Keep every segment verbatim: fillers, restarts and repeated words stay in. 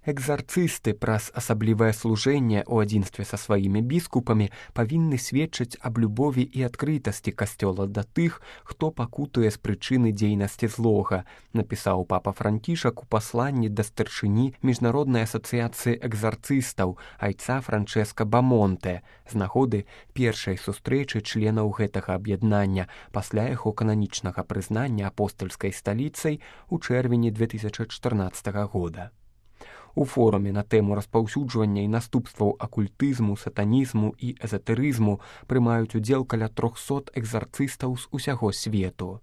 Экзарцысты праз асаблівае служэнне ў адзінстве са сваімі біскупамі павінны сведчыць аб любові і адкрытасці касцёла да тых, хто пакутуе з прычыны дзейнасці злога, напісаў папа Францішак у пасланні да старшыні Міжнароднай асацыяцыі экзарцыстаў айца Франчэска Бамонте з нагоды першай сустрэчы членаў гэтага аб'яднання пасля яго кананічнага прызнання апостальскай сталіцай у чэрвені две тысячы чатырнаццатага года. У форуме на тэму распаўсюджвання і наступстваў акультызму, сатанізму і эзатэрызму прымаюць удзел каля трохсот экзарцыстаў з усяго свету.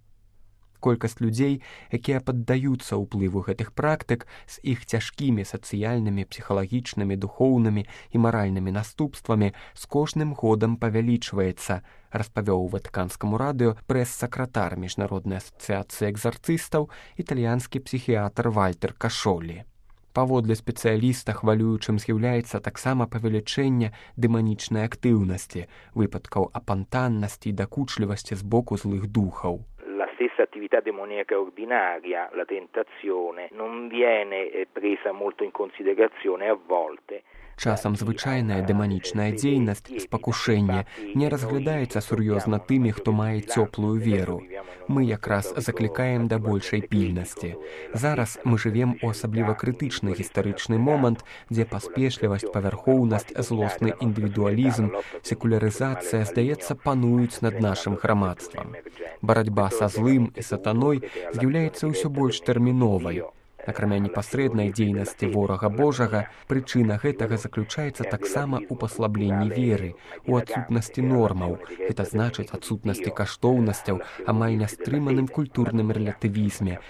Колькасць людзей, якія паддаюцца ўплыву гэтых практык з іх цяжкімі сацыяльнымі, псіхалагічнымі, духоўнымі і маральнымі наступствамі з кожным годам павялічваецца, распавёў у Ватыканскаму радыё прэс-сакратар Міжнароднай асацыяцыі экзарцыстаў італьянскі псіхіятр Вальтер Кашолі. Паводле спецыяліста хвалюючым з'яўляецца таксама павелічэнне дэманічнай актыўнасці, выпадкаў апантаннасці і дакучлівасці з боку злых духаў. La stessa attività demoniaca ordinaria, la tentazione, non viene presa molto in considerazione a volte. Часам звычайная дэманічная дзейнасць, спакушэнне, не разглядаецца сур'ёзна тымі, хто мае цёплую веру. Мы якраз заклікаем да большай пільнасці. Зараз мы жывем у асабліва крытычны гістарычны момант, дзе паспешлівасць, павярхоўнасць, злосны індывідуалізм, секулярызацыя, здаецца, пануюць над нашым грамадствам. Барацьба са злым і сатаной з'яўляецца ўсё больш тэрміновай. Акрамя непасрэднай дзейнасці ворага Божага, прычына гэтага заключаецца таксама ў паслабленні веры, у адсутнасці нормаў, гэта значыць адсутнасці каштоўнасцяў, амаль нястрыманым культурным рэлятывізме.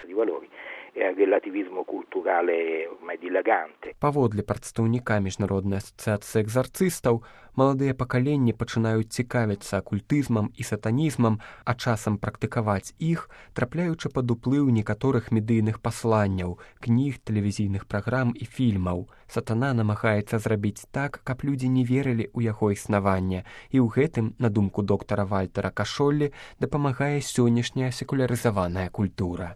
Паводле прадстаўніка Міжнароднай асацыяцыі экзарцыстаў, маладыя пакаленні пачынаюць цікавіцца акультызмам і сатанізмам, а часам практыкаваць іх, трапляючы пад уплыў некаторых медыйных пасланняў, кніг, тэлевізійных праграм і фільмаў. Сатана намагаецца зрабіць так, каб людзі не верылі ў яго існаванне, і ў гэтым, на думку доктара Вальтера Кашолі, дапамагае сённяшняя секулярызаваная культура.